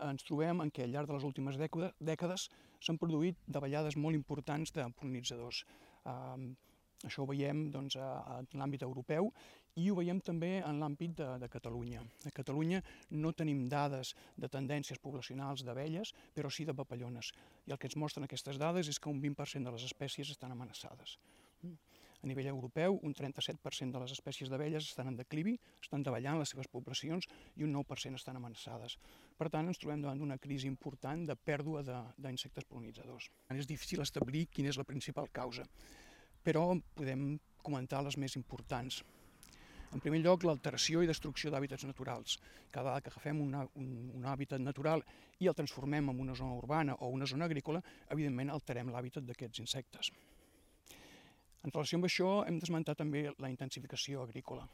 ens trobem en què al llarg de les últimes dècades s'han produït davallades molt importants de pol·linitzadors. Això ho veiem doncs, en l'àmbit europeu i ho veiem també en l'àmbit de Catalunya. A Catalunya no tenim dades de tendències poblacionals d'abelles, però sí de papallones. I el que ens mostren aquestes dades és que un 20% de les espècies estan amenaçades. A nivell europeu, un 37% de les espècies d'abelles estan en declivi, estan davallant les seves poblacions i un 9% estan amenaçades. Per tant, ens trobem davant d'una crisi important de pèrdua d'insectes pol·linitzadors. És difícil establir quina és la principal causa, però podem comentar les més importants. En primer lloc, l'alteració i destrucció d'hàbitats naturals. Cada vegada que agafem un hàbitat natural i el transformem en una zona urbana o una zona agrícola, evidentment alterem l'hàbitat d'aquests insectes. En relació amb això, hem d'esmentar també la intensificació agrícola.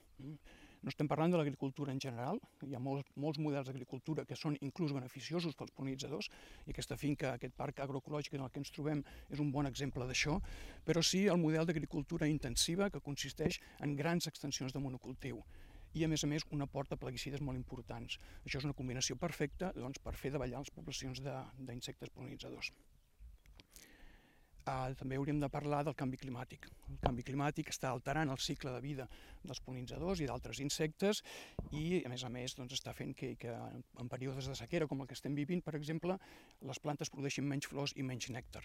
No estem parlant de l'agricultura en general, hi ha molts models d'agricultura que són inclús beneficiosos pels pol·linitzadors, i aquesta finca, aquest parc agroecològic en el que ens trobem és un bon exemple d'això, però sí el model d'agricultura intensiva que consisteix en grans extensions de monocultiu i, a més, un aport de plaguicides molt importants. Això és una combinació perfecta per fer davallar les poblacions d'insectes pol·linitzadors. També hauríem de parlar del canvi climàtic. El canvi climàtic està alterant el cicle de vida dels pol·linitzadors i d'altres insectes i, a més, està fent que en períodes de sequera com el que estem vivint, per exemple, les plantes produeixin menys flors i menys nèctar.